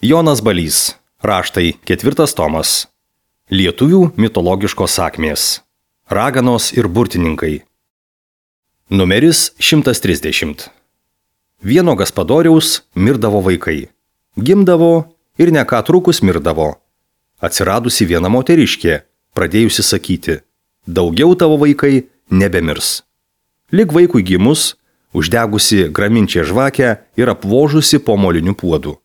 Jonas Balys. Raštai 4 tomas. Lietuvių mitologiškos sakmės. Raganos ir burtininkai. Numeris 130. Vieno gaspadoriaus mirdavo vaikai. Gimdavo ir ne ką trukus mirdavo. Atsiradusi viena moteriškė, pradėjusi sakyti: daugiau tavo vaikai nebemirs. Lig vaikui gimus, uždegusi graminčią žvakę ir apvožusi po moliniu puodu.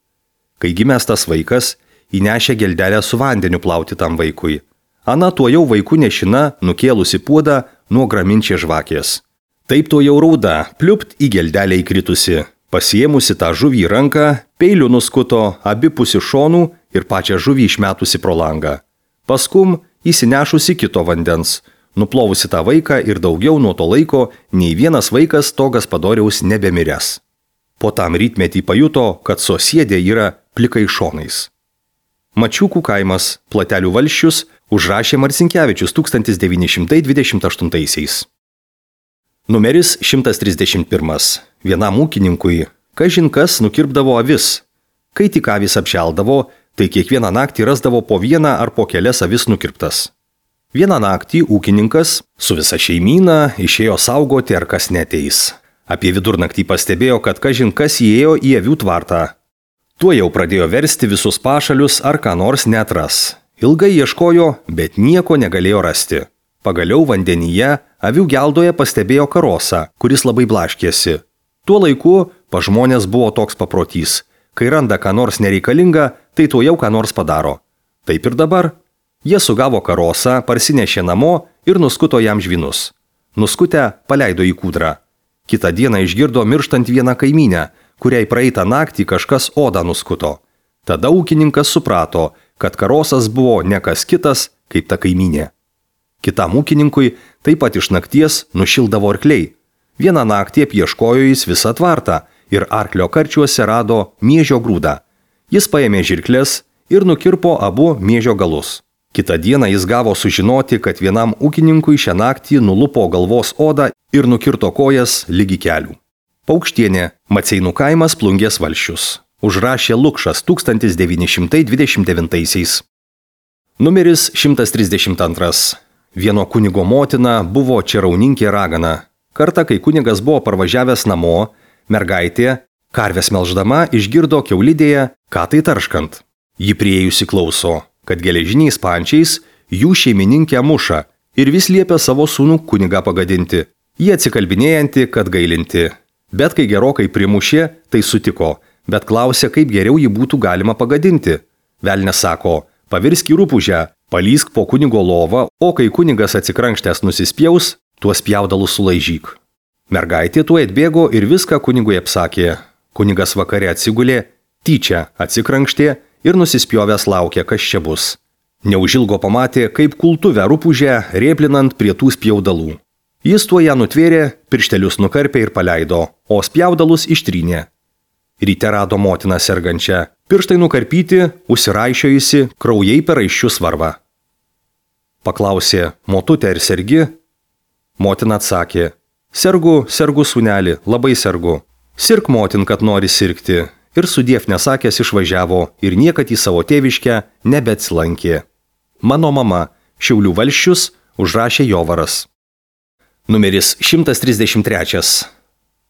Kai gimęs tas vaikas, įnešė geldelę su vandeniu plauti tam vaikui. Ana tuojau vaikų nešina nukėlusi puodą nuo graminčią žvakės. Taip tuojau rauda, pliupt į geldelę įkritusi. Pasiėmusi tą žuvį į ranką, peiliu nuskuto abipusį šonų ir pačią žuvį išmetusi pro langą. Paskum įsinešusi kito vandens, nuplovusi tą vaiką ir daugiau nuo to laiko nei vienas vaikas to gaspadoriaus nebemiręs. Po tam rytmetį pajuto, kad sosiedė yra plikai šonais. Mačiukų kaimas, Platelių valsčius, užrašė Marcinkevičius 1928. Numeris 131. Vienam ūkininkui, kažin kas nukirpdavo avis. Kai tik avys apšeldavo, tai kiekvieną naktį rasdavo po vieną ar po kelias avis nukirptas. Vieną naktį ūkininkas su visa šeimyna išėjo saugoti, ar kas neteis. Apie vidurnaktį pastebėjo, kad kažin kas įėjo į avių tvartą. Tuo jau pradėjo versti visus pašalius, ar ką nors netras. Ilgai ieškojo, bet nieko negalėjo rasti. Pagaliau vandenyje, avių geldoje pastebėjo karosą, kuris labai blaškėsi. Tuo laiku pas žmonės buvo toks paprotys. Kai randa ką nors nereikalinga, tai tuo jau ką nors padaro. Taip ir dabar. Jie sugavo karosą, parsinešė namo ir nuskuto jam žvynus. Nuskutę paleido į kūdrą. Kitą dieną išgirdo mirštant vieną kaimynę, kuriai praeitą naktį kažkas odą nuskuto. Tada ūkininkas suprato, kad karosas buvo ne kas kitas, kaip ta kaimynė. Kitam ūkininkui taip pat iš nakties nušildavo arkliai. Vieną naktį apieškojo jis visą tvartą ir arklio karčiuose rado miežio grūdą. Jis paėmė žirkles ir nukirpo abu miežio galus. Kitą dieną jis gavo sužinoti, kad vienam ūkininkui šią naktį nulupo galvos odą ir nukirto kojas lygi kelių. Paukštienė, Maceinų kaimas, Plungės valsčius. Užrašė Lukšas 1929. Numeris 132. Vieno kunigo motina buvo čerauninkė ragana. Kartą, kai kunigas buvo parvažiavęs namo, mergaitė, karves melždama, išgirdo kiaulidėje, ką tai tarškant. Ji priėjusi klauso, kad geležiniais pančiais jų šeimininkė muša ir vis liepia savo sūnų kunigą pagadinti. Jie atsikalbinėjanti, kad gailinti. Bet kai gerokai primušė, tai sutiko, bet klausė, kaip geriau jį būtų galima pagadinti. Velnias sako: pavirsk į rupūžę, palysk po kunigo lovą, o kai kunigas atsikrankštęs nusispjaus, tuos pjaudalus sulaižyk. Mergaitė tuo atbėgo ir viską kunigui apsakė. Kunigas vakare atsigulė, tyčia atsikrankštė ir nusispjovęs laukė, kas čia bus. Neužilgo pamatė, kaip kultuvę rupūžę rėplinant prie tų spjaudalų. Jis tuo ją nutvėrė, pirštelius nukarpė ir paleido, o spjaudalus ištrynė. Ryte rado motiną sergančią, pirštai nukarpyti, užsiraišiojusi, kraujai per raiščius varva. Paklausė: motutė, ar sergi? Motina atsakė: sergu, sūneli, labai sergu. Sirk, motin, kad nori sirgti. Ir sudiev nesakęs išvažiavo ir niekad į savo tėviškę nebeatsilankė. Mano mama, Šiaulių valsčius, užrašė Jovaras. Numeris 133.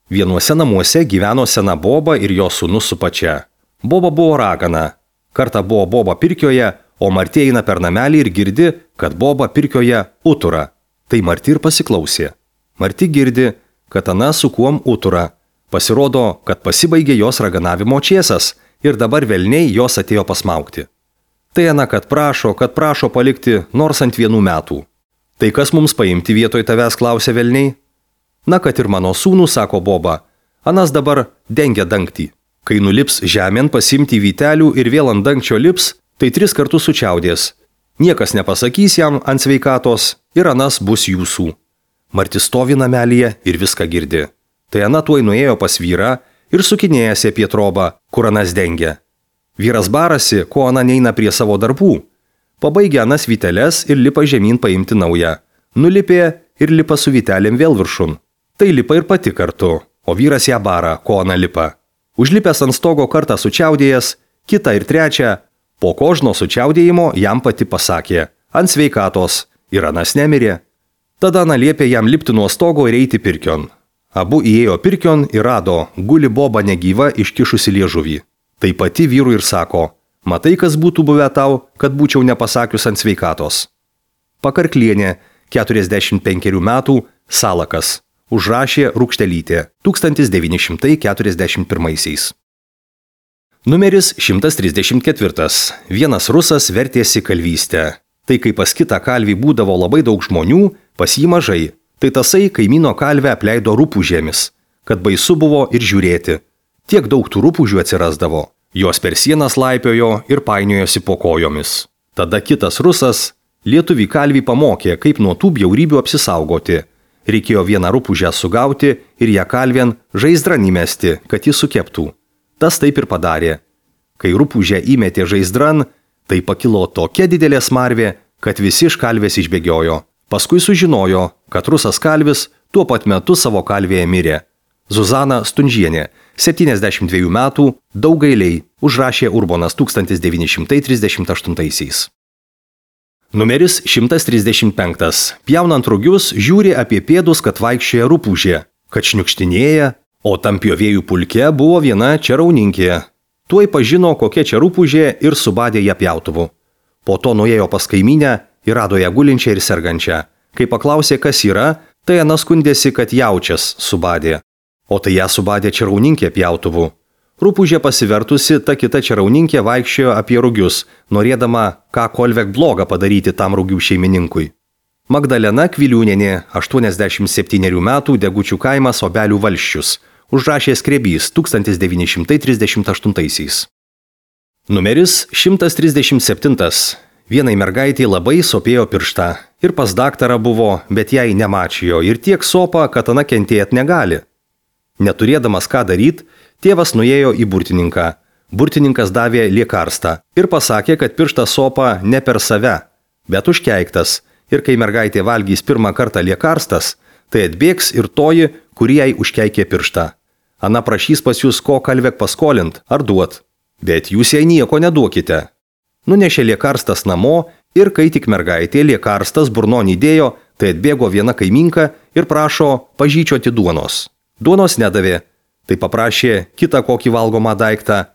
Vienuose namuose gyveno sena boba ir jo sūnus su pačia. Boba buvo ragana. Kartą buvo boba pirkioje, o Martė eina per namelį ir girdi, kad boba pirkioje utura. Tai Martė ir pasiklausė. Martė girdi, kad ana su kuom utura. Pasirodo, kad pasibaigė jos raganavimo čėsas ir dabar velniai jos atėjo pasmaugti. Tai ana, kad prašo palikti nors ant 1 metų. Tai kas mums paimti vietoj tavęs, klausė velniai. Na, kad ir mano sūnų, sako boba, anas dabar dengia dangtį. Kai nulips žemėn pasimti vytelių ir vėl ant dangčio lips, tai 3 kartus sučiaudės. Niekas nepasakys jam ant sveikatos ir anas bus jūsų. Martis stovi namelyje ir viską girdi. Tai ana tuoj nuėjo pas vyrą ir sukinėjasi apie trobą, kur anas dengia. Vyras barasi, ko ana neina prie savo darbų. Pabaigė anas vyteles ir lipa žemyn paimti naują. Nulipė ir lipa su vytelėm vėl viršun. Tai lipa ir pati kartu, o vyras ją bara, ko ana lipa. Užlipęs ant stogo kartą sučiaudėjęs, Kita ir trečia, po kožno sučiaudėjimo jam pati pasakė: ant sveikatos, ir anas nemirė. Tada Ana liepė jam lipti nuo stogo ir eiti pirkion. Abu įėjo pirkion ir rado, guli boba negyva iškišusi liežuvį. Tai pati vyrui ir sako: matai, kas būtų buvę tau, kad būčiau nepasakius ant sveikatos. Pakarklienė, 45 metų, Salakas. Užrašė Rūkštelytė, 1941. Numeris 134. Vienas rusas vertėsi kalvystę. Tai kai pas kitą kalvį būdavo labai daug žmonių, pas jį mažai. Tai tasai kaimyno kalvę apleido rupūžėmis, kad baisu buvo ir žiūrėti. Tiek daug tų rupūžių atsirasdavo. Jos per sienas laipiojo ir painiojosi po kojomis. Tada kitas rusas lietuvį kalvį pamokė, kaip nuo tų bjaurybių apsisaugoti. Reikėjo vieną rupūžę sugauti ir ją kalvien žaizdran įmesti, kad jis sukeptų. Tas taip ir padarė. Kai rupūžę įmetė žaizdran, tai pakilo tokia didelė smarvė, kad visi iš kalvės išbėgiojo. Paskui sužinojo, kad rusas kalvis tuo pat metu savo kalvėje mirė. Zuzana Stunžienė, 72 metų, Daugailiai, užrašė Urbonas 1938. Numeris 135. Pjaunant rugius, žiūri apie pėdus, kad vaikščioja rupūžė, kad šniukštinėja, o tam pjovėjų pulke buvo viena čerauninkė. Tuoj pažino, kokia čia rupūžė ir subadė ją pjautuvu. Po to nuėjo pas kaimynę ir rado ją gulinčią ir sergančią. Kai paklausė, kas yra, tai Ana skundėsi, kad jaučias subadė. O tai ją subadė čerauninkė pjautuvu. Rupūžė pasivertusi, ta kita čerauninkė vaikščiojo apie rugius, norėdama ką kolvek blogą padaryti tam rugių šeimininkui. Magdalena Kviliūnienė, 87 metų, Degučių kaimas, Obelių valsčius. Užrašė Skrebys 1938. Numeris 137. Vienai mergaitei labai sopėjo pirštą. Ir pas daktarą buvo, bet jai nemačijo ir tiek sopa, kad Ana kentėt negali. Neturėdamas ką daryti, tėvas nuėjo į burtininką. Burtininkas davė liekarstą ir pasakė, kad pirštas sopa ne per save, bet užkeiktas. Ir kai mergaitė valgys pirmą kartą liekarstas, tai atbėgs ir toji, kuri jai užkeikė pirštą. Ana prašys pas jūs ko kalvek paskolint ar duot, bet jūs jai nieko neduokite. Nunešė liekarstas namo ir kai tik mergaitė liekarstas burnon įdėjo, tai atbėgo viena kaiminka ir prašo pažyčioti duonos. Duonos nedavė, tai paprašė kitą kokį valgomą daiktą.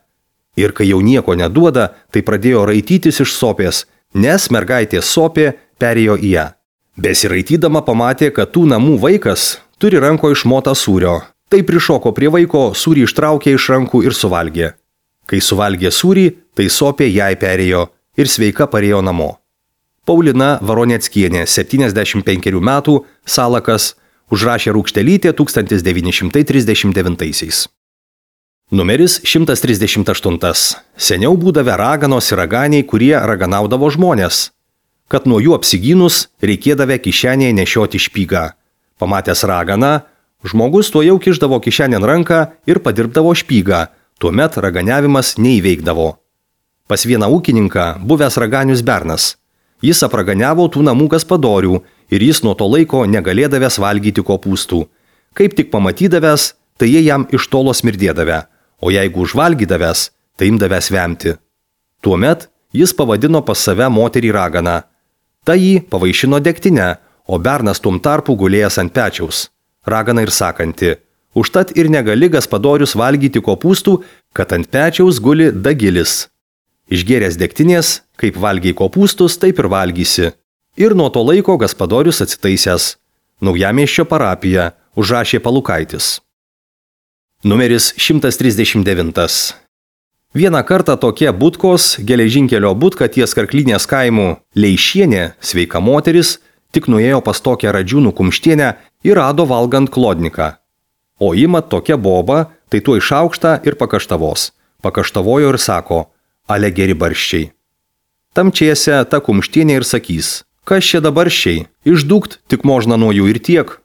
Ir kai jau nieko neduoda, tai pradėjo raitytis iš sopės, nes mergaitės sopė perėjo į ją. Besiraitydama pamatė, kad tų namų vaikas turi ranko išmotą sūrio. Tai prišoko prie vaiko, sūrį ištraukė iš rankų ir suvalgė. Kai suvalgė sūrį, tai sopė jai perėjo ir sveika parėjo namo. Paulina Varoneckienė, 75 metų, Salakas, užrašė Rūkštelytė 1939. Numeris 138. Seniau būdavę raganos ir raganiai, kurie raganaudavo žmonės, kad nuo jų apsigynus reikėdavę kišenėje nešioti špygą. Pamatęs raganą, žmogus tuo jau kišdavo kišenėn ranką ir padirbdavo špygą, tuomet raganiavimas neįveikdavo. Pas vieną ūkininką buvęs raganius bernas. Jis apraganiavo tų namų gaspadorių ir jis nuo to laiko negalėdavęs valgyti kopūstų. Kaip tik pamatydavęs, tai jie jam iš tolo smirdėdavę, o jeigu užvalgydavęs, tai imdavęs vemti. Tuomet jis pavadino pas save moterį raganą. Ta jį pavaišino degtinę, o bernas tuom tarpu gulėjęs ant pečiaus. Ragana ir sakanti: užtat ir negali gaspadorius valgyti kopūstų, kad ant pečiaus guli dagilis. Išgėręs degtinės, kaip valgiai kopūstus, taip ir valgysi. Ir nuo to laiko gaspadorius atsitaisęs. Naujamiesčio parapija, užrašė Palukaitis. Numeris 139. Vieną kartą tokie Butkos, geležinkelio Butka ties Karklinės kaimų Leišienė, sveika moteris, tik nuėjo pas tokią Radžiūnų Kumštienę ir rado valgant klodniką. O ima tokia boba, tai tuo išaukšta ir pakaštavos. Pakaštavojo ir sako: ale geri barščiai. Tamčiese ta Kumštienė ir sakys: kas čia dabarščiai, išdūkt tik možna nuo jų ir tiek.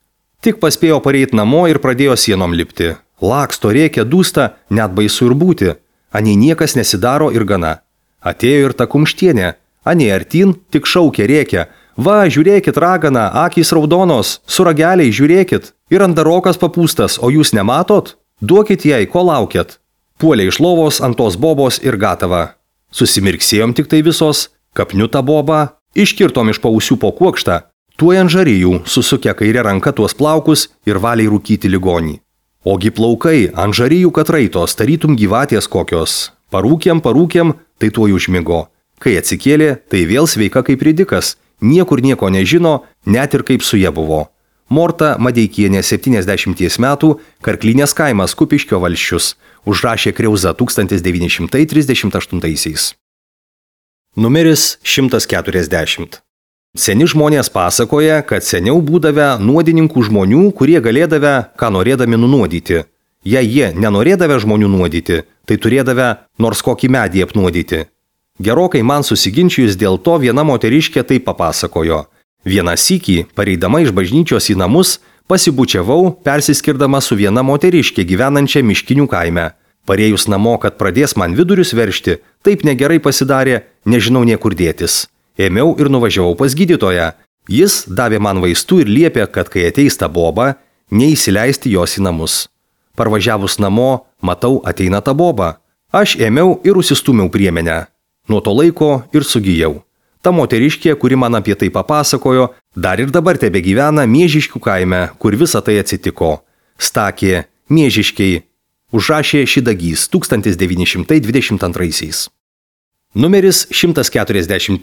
Tik paspėjo pareit namo ir pradėjo sienom lipti. Laksto, rėkia, dūsta, net baisu ir būti. Anei niekas nesidaro ir gana. Atėjo ir ta Kumštienė. Anei artin, tik šaukė, rėkia: va, žiūrėkit, ragana, akys raudonos, su rageliai žiūrėkit. Ir andarokas papūstas, o jūs nematot? Duokit jai, ko laukiat. Puolė iš lovos ant tos bobos ir gatava. Susimirksėjom tik tai visos, kapniu tą bobą, iškirtom iš pausių po kuokštą, tuoj ant žarijų susukę kairę ranką tuos plaukus ir valiai rūkyti ligonį. Ogi plaukai ant žarijų katraitos, tarytum gyvatės kokios. Parūkėm, tai tuoj užmigo. Kai atsikėlė, tai vėl sveika kaip ridikas, niekur nieko nežino, net ir kaip su ja buvo. Morta Madeikienė 70 metų, Karklinės kaimas Kupiškio valsčius, užrašė Kriauza 1938. Numeris 140. Seni žmonės pasakoja, kad seniau būdavę nuodininkų žmonių, kurie galėdavę, ką norėdami nunuodyti. Jei jie nenorėdavę žmonių nuodyti, tai turėdavę nors kokį medį apnuodyti. Gerokai man susiginčijus dėl to viena moteriškė tai papasakojo. Vieną sykį, pareidama iš bažnyčios į namus, pasibučiavau, persiskirdama su viena moteriškė gyvenančia Miškinių kaime. Parėjus namo, kad pradės man vidurius veršti, taip negerai pasidarė, nežinau niekur dėtis. Ėmiau ir nuvažiavau pas gydytoją. Jis davė man vaistų ir liepė, kad kai ateis ta boba, neįsileisti jos į namus. Parvažiavus namo, matau, ateina ta boba. Aš ėmiau ir užsistūmiau priemenę. Nuo to laiko ir sugijau. Ta moteriškė, kuri man apie tai papasakojo, dar ir dabar tebegyvena Miežiškių kaime, kur visa tai atsitiko. Stakė, Miežiškiai. Užrašė Šidagys 1922. Numeris 141.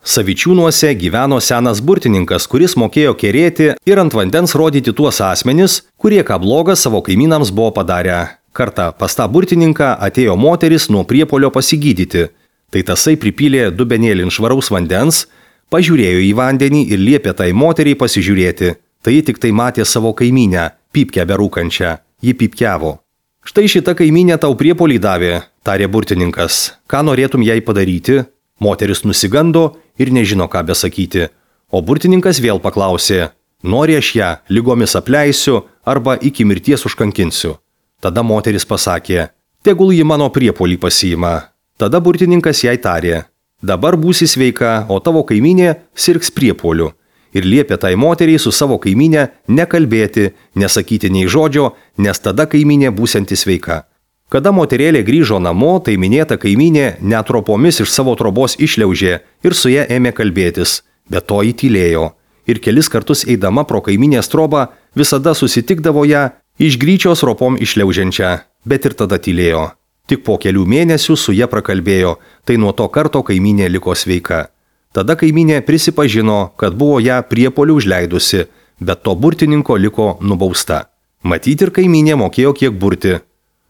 Savičiūnuose gyveno senas burtininkas, kuris mokėjo kerėti ir ant vandens rodyti tuos asmenis, kurie ką blogą savo kaimynams buvo padarę. Kartą pas tą burtininką atėjo moteris nuo priepuolio pasigydyti. Tai tasai pripylė dubenėlin švaraus vandens, pažiūrėjo į vandenį ir liepė tai moteriai pasižiūrėti. Tai ji tik tai matė savo kaimynę, pypkę berūkančią. Ji pypkiavo. Štai šita kaimynė tau priepuolį davė, tarė burtininkas. Ką norėtum jai padaryti? Moteris nusigando ir nežino, ką besakyti. O burtininkas vėl paklausė. Nori aš ją lygomis apleisiu arba iki mirties užkankinsiu. Tada moteris pasakė. Tegul ji mano priepuolį pasiima. Tada burtininkas jai tarė. Dabar būsi sveika, o tavo kaimynė sirgs priepuoliu. Ir liepė tai moteriai su savo kaimynė nekalbėti, nesakyti nei žodžio, nes tada kaimynė būsianti sveika. Kada moterėlė grįžo namo, tai minėta kaimynė net ropomis iš savo trobos išliaužė ir su ja ėmė kalbėtis, bet to įtylėjo. Ir kelis kartus eidama pro kaiminės trobą visada susitikdavo ją iš gryčios ropom išliaužiančią, bet ir tada tylėjo. Tik po kelių mėnesių su ja prakalbėjo, tai nuo to karto kaimynė liko sveika. Tada kaimynė prisipažino, kad buvo ją priepuoliu užleidusi, bet to burtininko liko nubausta. Matyti ir kaimynė mokėjo kiek burti.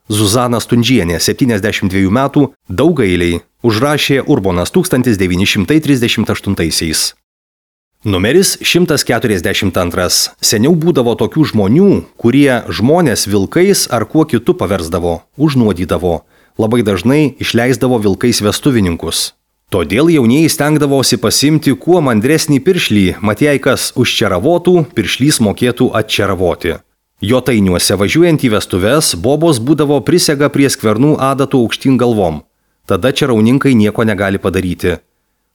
Zuzana Stundžienė, 72 metų, Daugailiai, užrašė Urbonas 1938. Numeris 142. Seniau būdavo tokių žmonių, kurie žmonės vilkais ar kuo kitu paversdavo, užnuodydavo. Labai dažnai išleisdavo vilkais vestuvininkus. Todėl jaunieji stengdavosi pasimti kuo mandresnį piršlį, mat jei kas užčeravotų, piršlys mokėtų atčeravoti. Jotainiuose važiuojant į vestuves, bobos būdavo prisega prie skvernų adatų aukštyn galvom. Tada čerauninkai nieko negali padaryti.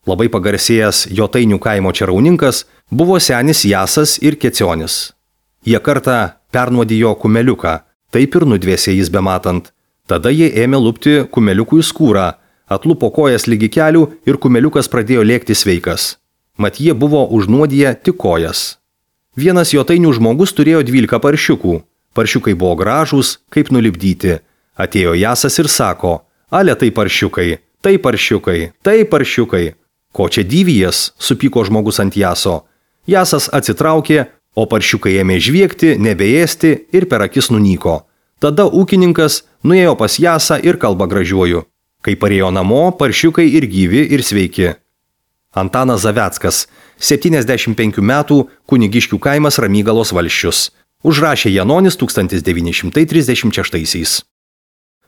Labai pagarsėjęs Jotainių kaimo čerauninkas buvo senis Jasas ir Kecionis. Jie kartą pernuodijo kumeliuką, taip ir nudvėsė jis bematant. Tada jie ėmė lupti kumeliukui skūrą, atlupo kojas lygi kelių ir kumeliukas pradėjo lėkti sveikas. Mat jie buvo užnuodiję tik kojas. Vienas Jotainių žmogus turėjo 12 paršiukų. Paršiukai buvo gražūs, kaip nulipdyti. Atėjo Jasas ir sako, ale tai paršiukai, tai paršiukai, tai paršiukai. Ko čia dyvijas, supyko žmogus ant Jaso. Jasas atsitraukė, o paršiukai ėmė žviegti, nebeėsti ir per akis nunyko. Tada ūkininkas nuėjo pas Jasą ir kalba gražiuoju. Kai parėjo namo, paršiukai ir gyvi, ir sveiki. Antanas Zaveckas, 75 metų, Kunigiškių kaimas Ramygalos valsčius. Užrašė Janonis 1936.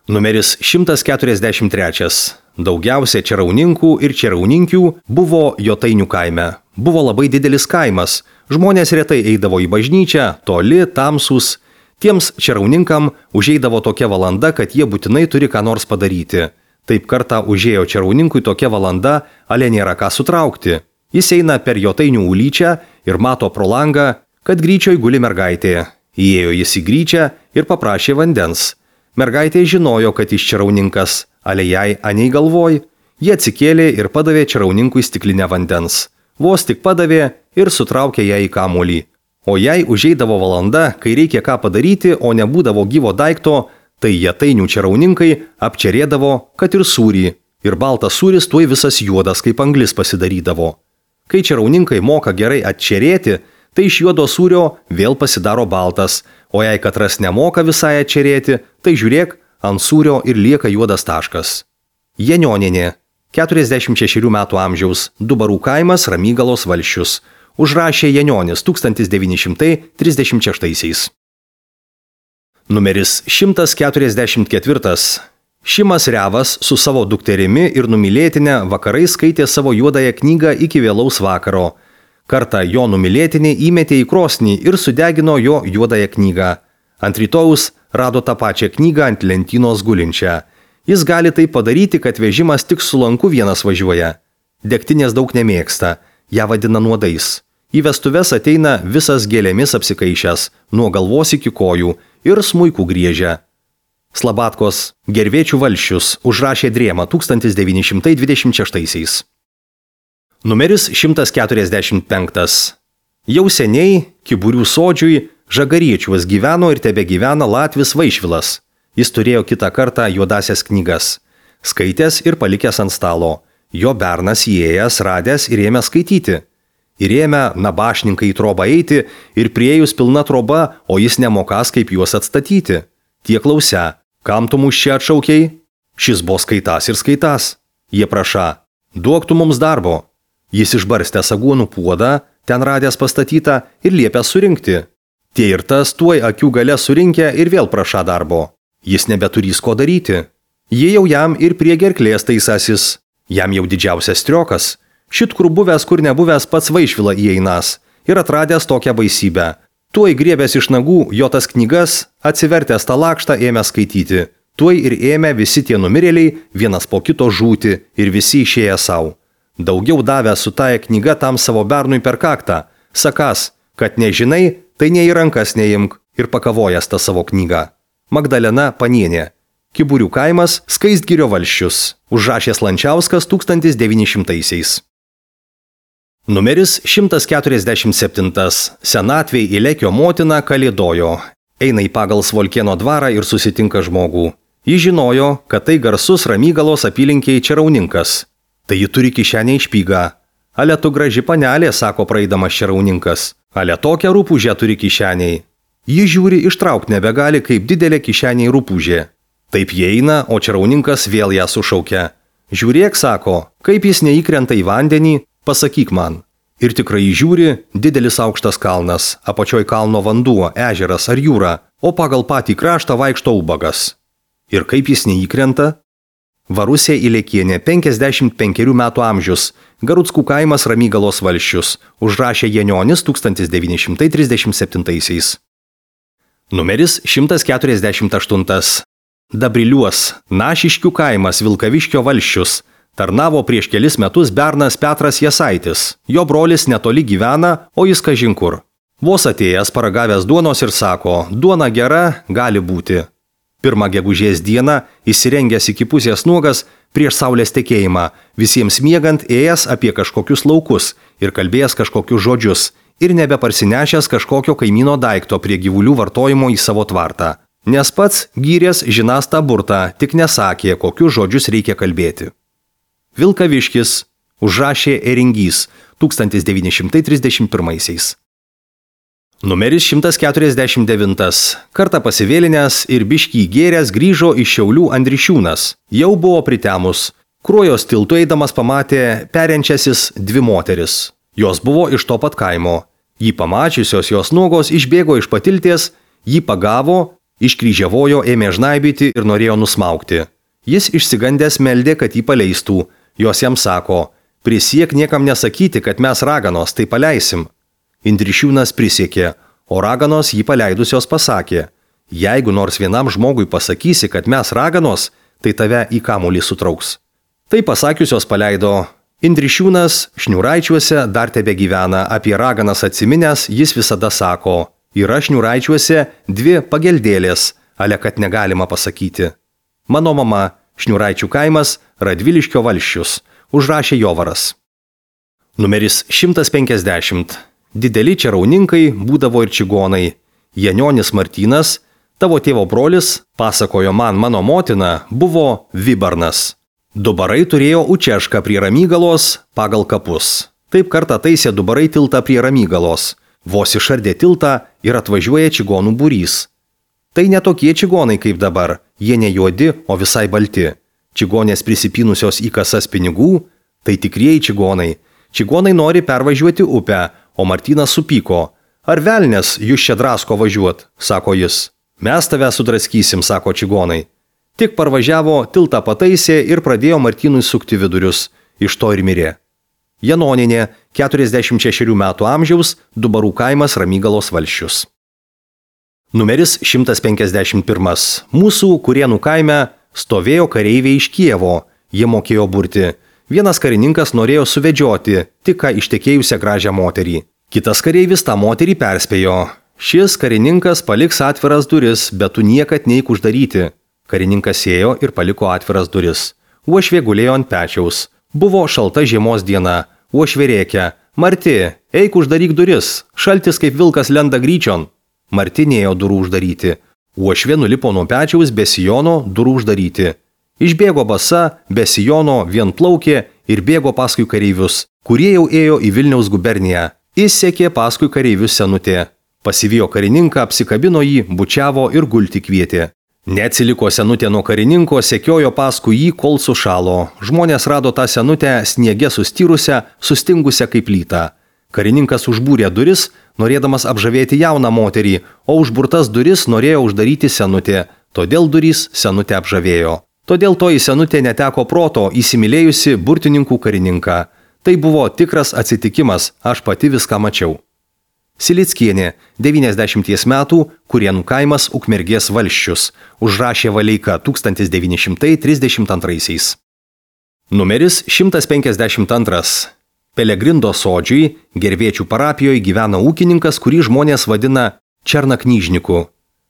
Numeris 143. Daugiausia čerauninkų ir čerauninkių buvo Jotainių kaime. Buvo labai didelis kaimas. Žmonės retai eidavo į bažnyčią, toli, tamsūs. Tiems čerauninkam užeidavo tokia valanda, kad jie būtinai turi ką nors padaryti. Taip kartą užėjo čerauninkui tokia valanda, ale nėra ką sutraukti. Jis eina per Jotainių ulyčią ir mato pro langą, kad gryčioj guli mergaitė. Įėjo jis į gryčią ir paprašė vandens. Mergaitė žinojo, kad jis čarauninkas, ale jai anei galvoj. Jie atsikėlė ir padavė čarauninkui stiklinę vandens. Vos tik padavė ir sutraukė ją į kamuolį. O jei užeidavo valanda, kai reikia ką padaryti, o nebūdavo gyvo daikto, tai jatainių čarauninkai apčerėdavo, kad ir sūrį. Ir baltas sūris tuoj visas juodas, kaip anglis pasidarydavo. Kai čarauninkai moka gerai atčerėti, tai iš juodo sūrio vėl pasidaro baltas, o jei katras nemoka visai atčerėti, tai žiūrėk, ant sūrio ir lieka juodas taškas. Janionienė, 46 metų amžiaus, Dubarų kaimas, Ramygalos valsčius. Užrašė Janionis 1936. Numeris 144. Šimas Revas su savo dukterimi ir numylėtinė vakarais skaitė savo juodąją knygą iki vėlaus vakaro. Kartą jo numylėtinė įmetė į krosnį ir sudegino jo juodąją knygą. Ant rytojaus rado tą pačią knygą ant lentynos gulinčią. Jis gali tai padaryti, kad vežimas tik su lanku vienas važiuoja. Degtinės daug nemėgsta, ją vadina nuodais. Į vestuves ateina visas gėlėmis apsikaišęs, nuo galvos iki kojų ir smuikų griežia. Slabatkos, Gervėčių valsčius, užrašė Drėma 1926. Numeris 145. Jau seniai Kiburių sodžiui Žagariečiuos gyveno ir tebegyvena latvis Vaišvilas. Jis turėjo kitą kartą juodasias knygas. Skaitęs ir palikęs ant stalo. Jo bernas įėjęs, radęs ir ėmė skaityti. Ir ėmė nabašninkai į trobą eiti ir priejus pilna troba, o jis nemokas kaip juos atstatyti. Tie klausia, kam tu mus čia atšaukiai? Šis buvo skaitas ir skaitas. Jie praša, duok tu mums darbo. Jis išbarstė saguonų puodą, ten radęs pastatytą ir liepė surinkti. Tie ir tas tuoj akių gale surinkę ir vėl praša darbo. Jis nebeturys ko daryti. Jie jau jam ir prie gerklės taisasis. Jam jau didžiausias striokas. Šit kur buvęs, kur nebuvęs pats Vaišvila įeinas ir atradęs tokią baisybę. Tuoj griebęs iš nagų jo tas knygas, atsivertęs tą lakštą ėmė skaityti. Tuoj ir ėmė visi tie numirėliai vienas po kito žūti ir visi išėję savo. Daugiau davė su taja knyga tam savo bernui per kaktą. Sakas, kad nežinai, tai nei į rankas neimk ir pakavojęs tą savo knygą. Magdalena Panienė. Kiburių kaimas, Skaistgirio valsčius. Užrašęs Lančiauskas 1900. Numeris 147. Senatvėj Ilekio motina kalėdojo. Eina į pagal Svolkėno dvarą ir susitinka žmogų. Ji žinojo, kad tai garsus Ramygalos apylinkiai čarauninkas. Tai ji turi kišenę išpygą. Ale tu graži panelė, sako praeidamas čarauninkas. Ale tokią rūpužę turi kišeniai. Ji žiūri, ištraukti nebegali, kaip didelė kišeniai rūpužė. Taip jie eina, o čarauninkas vėl ją sušaukia. Žiūrėk, sako, kaip jis neįkrenta į vandenį, pasakyk man. Ir tikrai žiūri, didelis aukštas kalnas, apačioj kalno vanduo, ežeras ar jūra, o pagal patį kraštą vaikšto ubagas. Ir kaip jis neįkrenta? Varusė Ilekienė, 55 metų amžius, Garuckų kaimas Ramygalos valsčius, užrašė Janionis 1937. Numeris 148. Dabriliuos, Našiškių kaimas Vilkaviškio valsčius, tarnavo prieš kelis metus bernas Petras Jasaitis. Jo brolis netoli gyvena, o jis kažin kur. Vos atėjęs paragavęs duonos ir sako, duona gera, gali būti. Pirmą gegužės dieną, įsirengęs iki pusės nuogas, prieš saulės tekėjimą, visiems miegant ėjęs apie kažkokius laukus ir kalbėjęs kažkokius žodžius ir nebeparsinešęs kažkokio kaimyno daikto prie gyvulių vartojimo į savo tvartą. Nes pats gyrės žinas tą burtą, tik nesakė, kokius žodžius reikia kalbėti. Vilkaviškis, užrašė Eringys 1931. Numeris 149. Kartą pasivėlinęs ir biškį gėręs grįžo iš Šiaulių Andrišiūnas. Jau buvo pritemus. Kruojos tiltu eidamas pamatė periančiasis dvi moteris. Jos buvo iš to pat kaimo. Jį pamačiusios jos nuogos išbėgo iš patilties, jį pagavo, iškryžiavojo, ėmė žnaibyti ir norėjo nusmaukti. Jis išsigandęs meldė, kad jį paleistų. Jos jam sako, prisiek niekam nesakyti, kad mes raganos, tai paleisim. Indrišiūnas prisiekė, o raganos jį paleidusios pasakė, jeigu nors vienam žmogui pasakysi, kad mes raganos, tai tave į kamuolį sutrauks. Tai pasakiusios paleido. Indrišiūnas Šniūraičiuose dar tebegyvena, apie raganas atsiminęs jis visada sako, yra Šniūraičiuose dvi pageldėlės, ale kad negalima pasakyti. Mano mama, Šniuraičių kaimas, Radviliškio valsčius, užrašė Jovaras. Numeris 150. Dideli čerauninkai būdavo ir čigonai. Janionis Martynas, tavo tėvo brolis, pasakojo man mano motina, buvo Vibarnas. Dubarai turėjo Učešką prie Ramygalos pagal kapus. Taip kartą taisė Dubarai tiltą prie Ramygalos. Vos išardė tiltą ir atvažiuoja čigonų būrys. Tai ne tokie čigonai kaip dabar, jie ne juodi, o visai balti. Čigonės prisipynusios į kasas pinigų, tai tikrieji čigonai. Čigonai nori pervažiuoti upę, o Martynas supyko. Ar velnės jūs čia drasko važiuot, sako jis. Mes tave sudraskysim, sako čigonai. Tik parvažiavo, tiltą pataisė ir pradėjo Martynui sukti vidurius. Iš to ir mirė. Janoninė, 46 metų amžiaus, Dubarų kaimas, Ramygalos valsčius. Numeris 151. Mūsų Kurienų kaime stovėjo kareiviai iš Kijevo. Jie mokėjo burti. Vienas karininkas norėjo suvedžioti tik ką ištekėjusią gražią moterį. Kitas kareivis tą moterį perspėjo. Šis karininkas paliks atviras duris, bet tu niekad neik uždaryti. Karininkas ėjo ir paliko atviras duris. Uošvė gulėjo ant pečiaus. Buvo šalta žiemos diena. Uošvė rėkė. Marti, eik uždaryk duris. Šaltis kaip vilkas lenda gryčion. Marti nėjo durų uždaryti. Uošvė nulipo nuo pečiaus be sijono durų uždaryti. Išbėgo basa, be sijono, vienplaukė ir bėgo paskui kareivius, kurie jau ėjo į Vilniaus guberniją. Įsekė paskui kareivius senutė. Pasivijo karininką, apsikabino jį, bučiavo ir gulti kvietė. Neatsiliko senutė nuo karininko, sekiojo paskui jį, kol sušalo. Žmonės rado tą senutę sniege sustyrusią, sustingusią kaip lytą. Karininkas užbūrė duris, norėdamas apžavėti jauną moterį, o užburtas duris norėjo uždaryti senutė, todėl durys senutę apžavėjo. Todėl toji senutė neteko proto, įsimylėjusi burtininkų karininką. Tai buvo tikras atsitikimas, aš pati viską mačiau. Silickienė, 90 metų, Kurienų kaimas, Ukmergės valsčius, užrašė Valeika 1932. Numeris 152. Pelegrindo sodžiui, Gervėčių parapijoje gyvena ūkininkas, kurį žmonės vadina Černaknyžniku.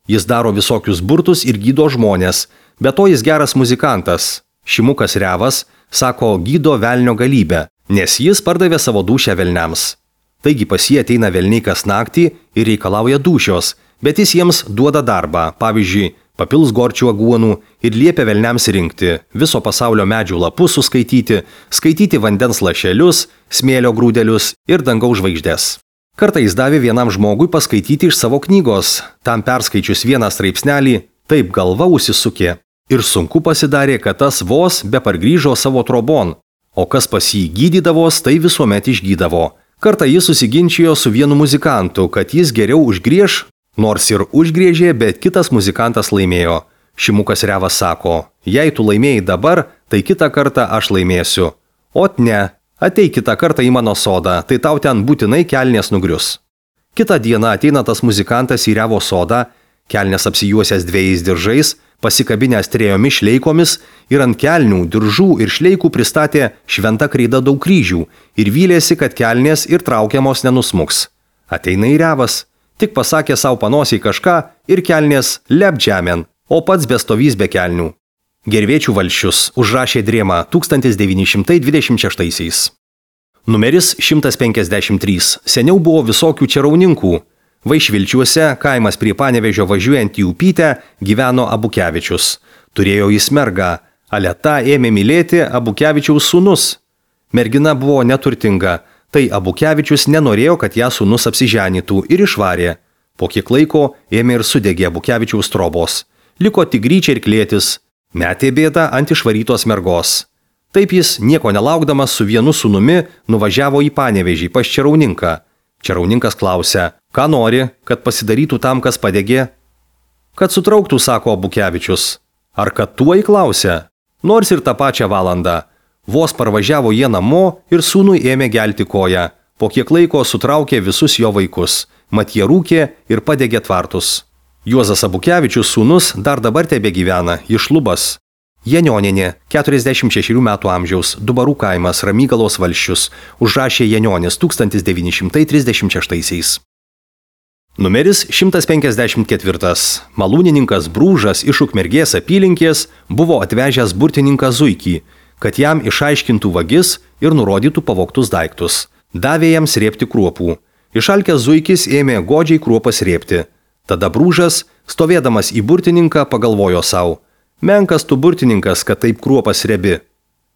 Jis daro visokius burtus ir gydo žmonės, bet to jis geras muzikantas. Šimukas Revas sako gydo velnio galybę, nes jis pardavė savo dūšią velniams. Taigi pas jį ateina velniai kas naktį ir reikalauja dūšios, bet jis jiems duoda darbą, pavyzdžiui, papils gorčių aguonų ir liepia velniams rinkti, viso pasaulio medžių lapus suskaityti, skaityti vandens lašelius, smėlio grūdelius ir dangaus žvaigždės. Kartą jis davė vienam žmogui paskaityti iš savo knygos, tam perskaičius vieną straipsnelį, taip galva užsisukė. Ir sunku pasidarė, kad tas vos be pargrįžo savo trobon, o kas pas jį gydydavos, tai visuomet išgydavo. Kartą jis susiginčijo su vienu muzikantu, kad jis geriau užgriež, nors ir užgriežė, bet kitas muzikantas laimėjo. Šimukas Revas sako, jei tu laimėjai dabar, tai kitą kartą aš laimėsiu. Ot ne, ateik kitą kartą į mano sodą, tai tau ten būtinai kelnės nugrius. Kitą dieną ateina tas muzikantas į Revo sodą, kelnės apsijuosęs dviejais diržais, pasikabinęs trejomis šleikomis ir ant kelnių, diržų ir šleikų pristatė šventa kreida daug kryžių ir vylėsi, kad kelnės ir traukiamos nenusmuks. Ateina į Revas, tik pasakė savo panosiai kažką ir kelnės lep žemėn, o pats bestovys be kelnių. Gervėčių valsčius užrašė Drėma 1926. Numeris 153. Seniau buvo visokių čerauninkų. Vaišvilčiuose, kaimas prie Panevėžio važiuojant į Upytę, gyveno Abukevičius. Turėjo jis mergą. Aleta ėmė mylėti Abukevičiaus sūnus. Mergina buvo neturtinga, tai Abukevičius nenorėjo, kad ją sūnus apsiženytų ir išvarė. Po kiek laiko ėmė ir sudegė Abukevičiaus trobos. Liko tik gryčia ir klėtis. Metė bėdą ant išvarytos mergos. Taip jis, nieko nelaukdamas, su vienu sūnumi nuvažiavo į Panevėžį pas čerauninką. Čerauninkas klausia, ką nori, kad pasidarytų tam, kas padegė? Kad sutrauktų, sako Abukevičius. Ar kad tuoj klausia? Nors ir tą pačią valandą. Vos parvažiavo jie namo ir sūnui ėmė gelti koją. Po kiek laiko sutraukė visus jo vaikus. Mat jie rūkė ir padegė tvartus. Juozas Abukevičius sūnus dar dabar tebegyvena, iš Lubas. Janioninė, 46 metų amžiaus, Dubarų kaimas, Ramygalos valsčius, užrašė Janionis 1936. Numeris 154. Malūnininkas Brūžas iš Ukmergės apylinkės buvo atvežęs burtininką Zuikį, kad jam išaiškintų vagis ir nurodytų pavogtus daiktus. Davė jam srėbti kruopų. Išalkęs Zuikis ėmė godžiai kruopas srėbti. Tada Brūžas, stovėdamas į burtininką, pagalvojo savo: menkas tu burtininkas, kad taip kruopas srėbi.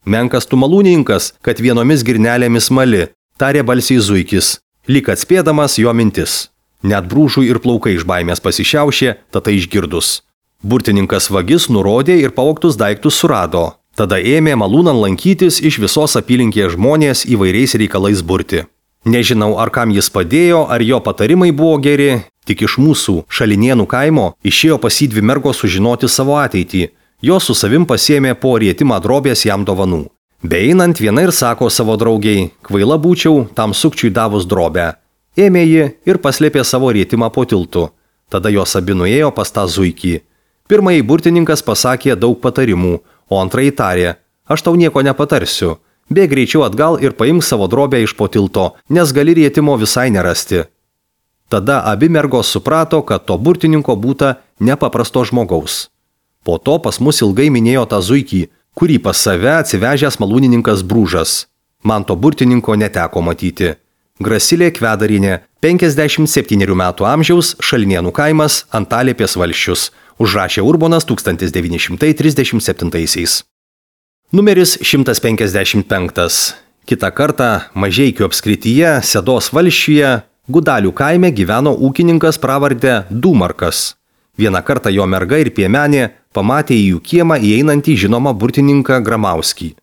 Menkas tu malūnininkas, kad vienomis girnelėmis mali, tarė balsiai Zuikis, lyg atspėdamas jo mintis. Net Brūžui ir plaukai iš baimės pasišiaušė, tada išgirdus. Burtininkas vagis nurodė ir pavogtus daiktus surado. Tada ėmė malūnan lankytis iš visos apylinkės žmonės įvairiais reikalais burti. Nežinau, ar kam jis padėjo, ar jo patarimai buvo geri, tik iš mūsų Šalinėnų kaimo išėjo pas jį dvi mergos sužinoti savo ateitį. Jos su savim pasiėmė po rietimą drobės jam dovanų. Beeinant viena ir sako savo draugiai: kvaila būčiau tam sukčiui davus drobę. Ėmė ji ir paslėpė savo rietimą po tiltu. Tada jos abi nuėjo pas tą Zuikį. Pirmąjį burtininkas pasakė daug patarimų, o antrąjį tarė: aš tau nieko nepatarsiu. Bėk greičiau atgal ir paimk savo drobę iš po tilto, nes gali rietimo visai nerasti. Tada abi mergos suprato, kad to burtininko būta nepaprasto žmogaus. Po to pas mus ilgai minėjo tą Zuikį, kurį pas save atsivežęs malūnininkas Brūžas. Man to burtininko neteko matyti. Grasilė Kvedarinė, 57 metų amžiaus, Šalinėnų kaimas, Antalėpės valsčius. Užrašė Urbonas 1937. Numeris 155. Kitą kartą Mažeikių apskrityje, Sedos valsčiuje, Gudalių kaime gyveno ūkininkas pravarde Dumarkas. Vieną kartą jo merga ir piemenė pamatė į jų kiemą įeinantį žinomą burtininką Gramauskį.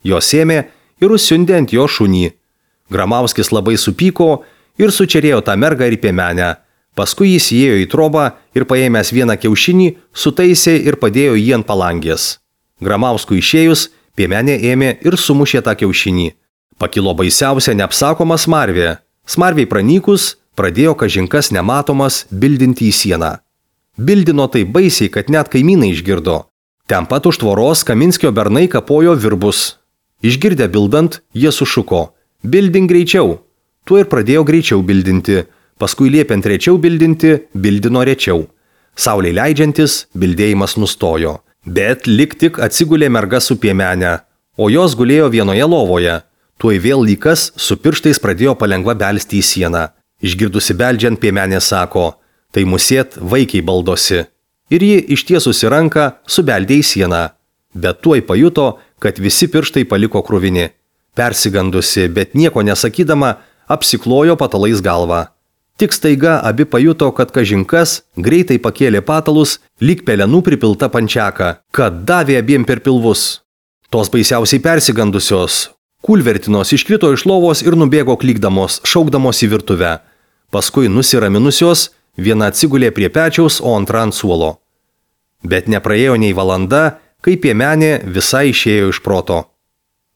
Jos ėmė ir užsiundė ant jo šunį. Gramauskis labai supyko ir sučerėjo tą mergą ir piemenę. Paskui jis įėjo į trobą ir paėmęs vieną kiaušinį, sutaisė ir padėjo jį ant palangės. Gramauskui išėjus, piemenė ėmė ir sumušė tą kiaušinį. Pakilo baisiausia neapsakoma smarvė. Smarviai pranykus, pradėjo kažinkas nematomas bildinti į sieną. Bildino taip baisiai, kad net kaimynai išgirdo. Ten pat už tvoros Kaminskio bernai kapojo virbus. Išgirdę bildant, jie sušuko: bildink greičiau. Tuo ir pradėjo greičiau bildinti. Paskui liepiant rečiau bildinti, bildino rečiau. Saulei leidžiantis, bildėjimas nustojo. Bet lik tik atsigulė merga su piemenė, o jos gulėjo vienoje lovoje. Tuoj vėl lykas su pirštais pradėjo palengva belsti į sieną. Išgirdusi beldžiant, piemenė sako: tai musėt vaikiai baldosi. Ir ji ištiesusi ranką subeldė į sieną. Bet tuoj pajuto, kad visi pirštai paliko kruvini. Persigandusi, bet nieko nesakydama, apsiklojo patalais galvą. Tik staiga abi pajuto, kad kažinkas greitai pakėlė patalus, lyg pelenų pripilta pančiaka, kad davė abiem per pilvus. Tos baisiausiai persigandusios kulvertinos iškrito iš lovos ir nubėgo klykdamos, šaukdamos į virtuvę. Paskui nusiraminusios, viena atsigulė prie pečiaus, o antra ant suolo. Bet nepraėjo nei valanda, kai piemenė visai išėjo iš proto.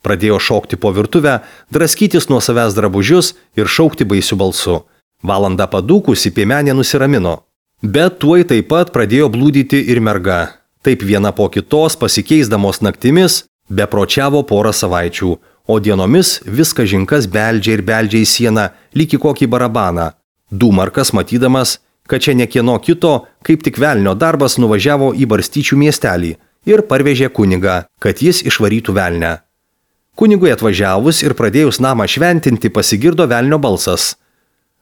Pradėjo šokti po virtuvę, draskytis nuo savęs drabužius ir šaukti baisiu balsu. Valandą padūkusi piemenė nusiramino. Bet tuoj taip pat pradėjo blūdyti ir merga. Taip viena po kitos, pasikeisdamos naktimis, bepročiavo porą savaičių, o dienomis vis kažinkas beldžia ir beldžia į sieną, lyg į kokį barabaną. Dumarkas, matydamas, kad čia ne kieno kito, kaip tik velnio darbas, nuvažiavo į Barstyčių miestelį ir parvežė kunigą, kad jis išvarytų velnę. Kunigui atvažiavus ir pradėjus namą šventinti, pasigirdo velnio balsas.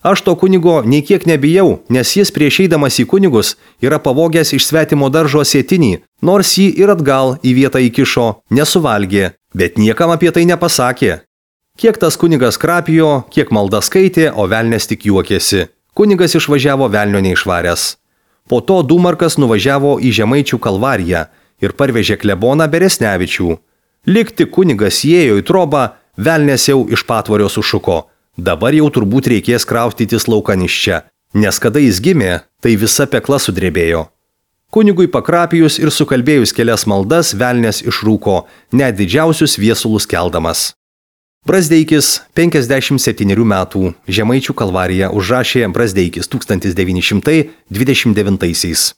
Aš to kunigo nei kiek nebijau, nes jis prieš eidamas į kunigus yra pavogęs iš svetimo daržo sėtinį, nors jį ir atgal į vietą įkišo, nesuvalgė, bet niekam apie tai nepasakė. Kiek tas kunigas krapijo, kiek maldą skaitė, o velnės tik juokėsi. Kunigas išvažiavo velnio neišvaręs. Po to Dumarkas nuvažiavo į Žemaičių Kalvariją ir parvežė kleboną Beresnevičių. Lyg tik kunigas įėjo į trobą, velnės jau iš patvorio sušuko. Dabar jau turbūt reikės kraustytis laukan iš čia, nes kada jis gimė, tai visa pekla sudrebėjo. Kunigui pakrapijus ir sukalbėjus kelias maldas, velnės išrūko, net didžiausius viesulus keldamas. Brazdeikis, 57 metų, Žemaičių Kalvarija, užrašė Brazdeikis 1929.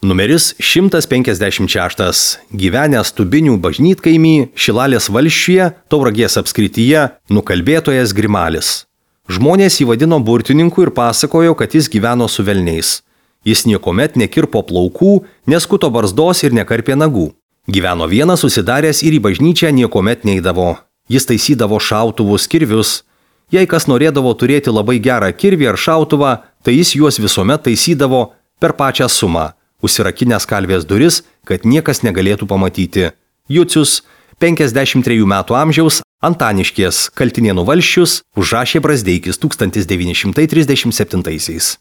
Numeris 156. Gyvenęs Tubinių bažnytkaimy, Šilalės valsčiuje, Tauragės apskrityje, nukalbėtojas Grimalis. Žmonės jį vadino burtininku ir pasakojo, kad jis gyveno su velniais. Jis niekuomet nekirpo plaukų, neskuto barzdos ir nekarpė nagų. Gyveno vienas užsidaręs ir į bažnyčią niekuomet neidavo. Jis taisydavo šautuvus, kirvius. Jei kas norėdavo turėti labai gerą kirvį ar šautuvą, tai jis juos visuomet taisydavo per pačią sumą, užsirakinęs kalvės duris, kad niekas negalėtų pamatyti. Jucius, 53 metų amžiaus, Antaniškės, Kaltinėnų valsčius, užrašė Brazdeikis 1937.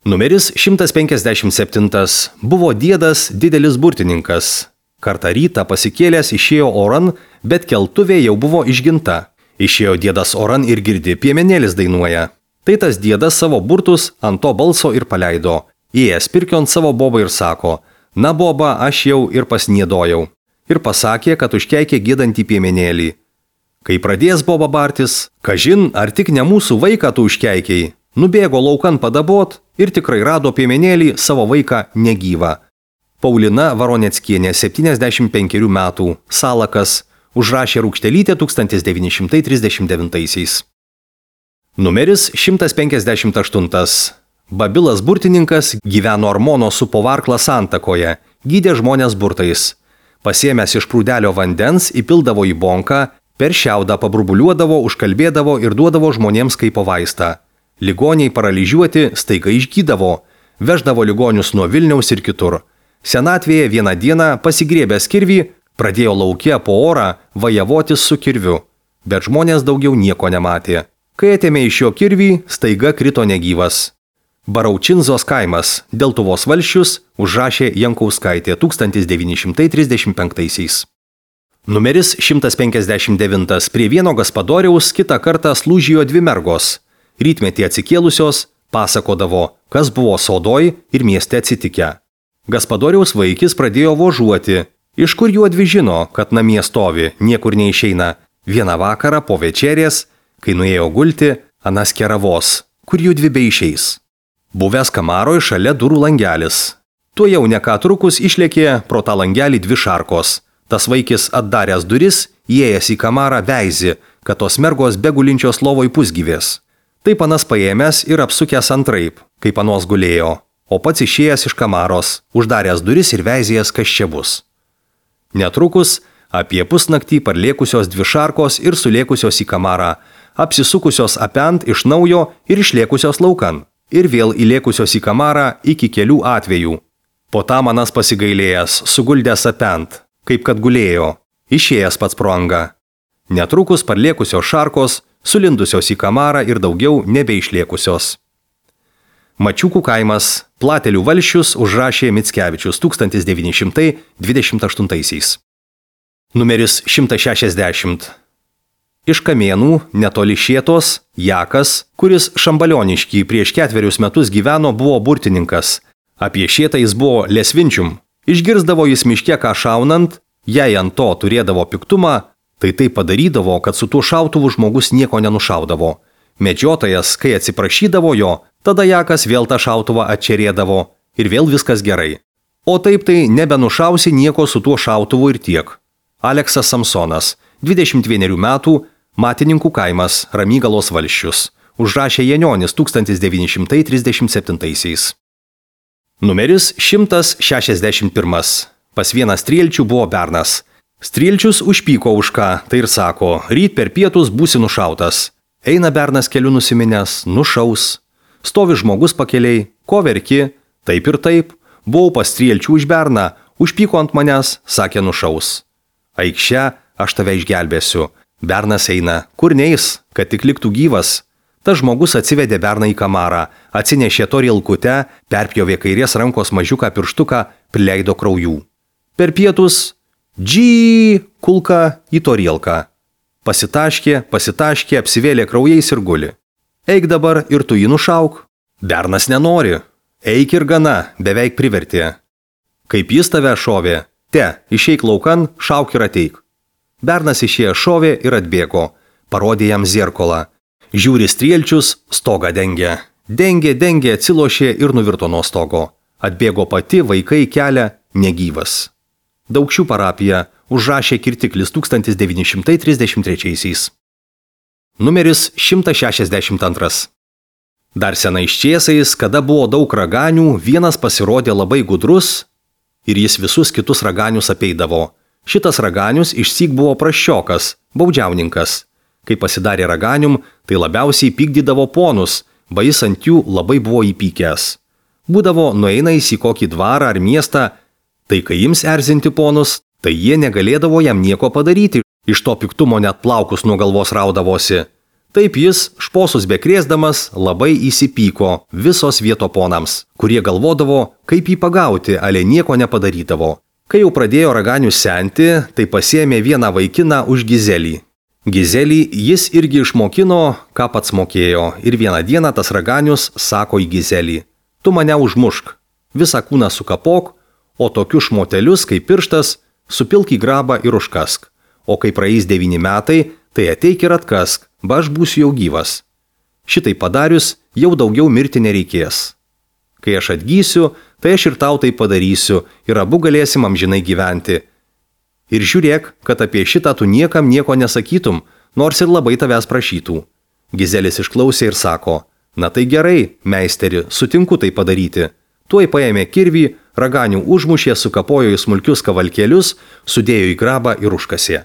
Numeris 157. Buvo diedas didelis burtininkas. Kartą rytą pasikėlęs išėjo oran, bet keltuvė jau buvo išginta. Išėjo diedas oran ir girdi, piemenėlis dainuoja. Tai tas diedas savo burtus ant to balso ir paleido. Įėjęs pirkion savo bobą ir sako, na boba, aš jau ir pasniedojau. Ir pasakė, kad užkeikė giedantį piemenėlį. Kai pradės boba bartis, kažin, ar tik ne mūsų vaiką tu užkeikiai, nubėgo laukan padabot ir tikrai rado piemenėlį savo vaiką negyvą. Paulina Varoneckienė, 75 metų, Salakas, užrašė Rūkštelytė 1939. Numeris 158. Babilas burtininkas gyveno Armono su Povarkla santakoje, gydė žmonės burtais. Pasiėmęs iš prūdelio vandens, įpildavo į bonką, per šiaudą paburbuliuodavo, užkalbėdavo ir duodavo žmonėms kaip vaistą. Ligoniai paralyžiuoti staiga išgydavo, veždavo ligonius nuo Vilniaus ir kitur. Senatvėje vieną dieną pasigriebęs kirvį, pradėjo lauke po orą vajavotis su kirviu, bet žmonės daugiau nieko nematė. Kai atėmė iš jo kirvį, staiga krito negyvas. Baraučinzos kaimas, Deltuvos valsčius, užrašė Jankauskaitė 1935. Numeris 159. Prie vieno gaspadoriaus kitą kartą slūžijo dvi mergos. Rytmetį atsikėlusios pasakodavo, kas buvo sodoj ir mieste atsitikę. Gaspadoriaus vaikis pradėjo vožuoti. Iš kur juodvi žino, kad namie stovi, niekur neišeina. Vieną vakarą po večerės, kai nuėjo gulti, anas keravos, kur judvi beišeis. Buvęs kamaroj šalia durų langelis. Tuo jau ne ką trukus išlėkė pro tą langelį dvi šarkos. Tas vaikis atdaręs duris, įėjęs į kamarą veizi, kad tos mergos begulinčios lovoj pusgyvės. Taip anas paėmęs ir apsukęs antraip, kaip anos gulėjo, o pats išėjęs iš kamaros, uždaręs duris ir veizėjęs, kas čia bus. Netrukus apie pusnaktį parlėkusios dvi šarkos ir sulėkusios į kamarą, apsisukusios apent iš naujo ir išlėkusios laukan, ir vėl įlėkusios į kamarą iki kelių atvejų. Po tam anas pasigailėjęs, suguldęs apent, kaip kad gulėjo, išėjęs pats pro angą. Netrukus parlėkusios šarkos, sulindusios į kamarą ir daugiau nebeišlėkusios. Mačiukų kaimas, Platelių valsčius, užrašė Mickevičius 1928. Numeris 160. Iš Kamėnų, netoli Šėtos, Jakas, kuris Šambalioniškį prieš 4 metus gyveno, buvo burtininkas. Apie Šėtą jis buvo lesvinčium. Išgirsdavo jis miške ką šaunant, jei ant to turėdavo piktumą, tai padarydavo, kad su tuo šautuvu žmogus nieko nenušaudavo. Medžiotojas, kai atsiprašydavo jo, tada Jakas vėl tą šautuvą atčerėdavo ir vėl viskas gerai. O taip tai nebenušausi nieko su tuo šautuvu ir tiek. Aleksas Samsonas, 21 metų, Matininkų kaimas, Ramygalos valsčius, užrašė Janionis 1937. Numeris 161. Pas vieną Strielčių buvo bernas. Strielčius užpyko už ką, tai ir sako, ryt per pietus būsi nušautas. Eina bernas keliu nusiminęs, nušaus. Stovi žmogus pakeliai, ko verki, taip ir taip, buvau pas Strielčių už berną, užpyko ant manęs, sakė nušaus. Aikščia, aš tave išgelbėsiu. Bernas eina, kur neis, kad tik liktų gyvas. Tas žmogus atsivedė berną į kamarą, atsinešė torilkutę, perpjovė kairės rankos mažiuką pirštuką, prileido kraujų. Per pietus, kulka į torilką. Pasitaškė, apsivėlė kraujais ir guli. Eik dabar ir tu jį nušauk. Bernas nenori. Eik ir gana, beveik privertė. Kaip jis tave šovė, išeik laukan, šauk ir ateik. Bernas išėjo šovė ir atbėgo, parodė jam zirkolą. Žiūri Strielčius, stogą dengė. Dengė, atsilošė ir nuvirto nuo stogo. Atbėgo pati, vaikai kelią, negyvas. Daukšių parapija, užrašė Kirtiklis 1933. Numeris 162. Dar senais čiesais, kada buvo daug raganių, vienas pasirodė labai gudrus ir jis visus kitus raganius apeidavo. Šitas raganius išsyk buvo prasčiokas, baudžiauninkas. Kai pasidarė raganium, tai labiausiai pykdydavo ponus, jis ant jų labai buvo įpykęs. Būdavo nueinais į kokį dvarą ar miestą, tai kai ims erzinti ponus, tai jie negalėdavo jam nieko padaryti, iš to piktumo net plaukus nuo galvos raudavosi. Taip jis, šposus bekrėsdamas, labai įsipyko visos vieto ponams, kurie galvodavo, kaip jį pagauti, ale nieko nepadarydavo. Kai jau pradėjo raganius senti, tai pasiėmė vieną vaikiną už Gizelį. Gizelį jis irgi išmokino, ką pats mokėjo, ir vieną dieną tas raganius sako į Gizelį: tu mane užmušk, visą kūną sukapok, o tokius šmotelius kaip pirštas supilk į grabą ir užkask, o kai praeis 9 metai, tai ateik ir atkask, aš būsiu jau gyvas. Šitai padarius, jau daugiau mirti nereikės. Kai aš atgysiu, tai aš ir tau tai padarysiu ir abu galėsim amžinai gyventi. Ir žiūrėk, kad apie šitą tu niekam nieko nesakytum, nors ir labai tavęs prašytų. Gizelis išklausė ir sako: na tai gerai, meisteri, sutinku tai padaryti. Tuoj paėmė kirvį, raganių užmušė, sukapojo į smulkius kavalkėlius, sudėjo į grabą ir užkasė.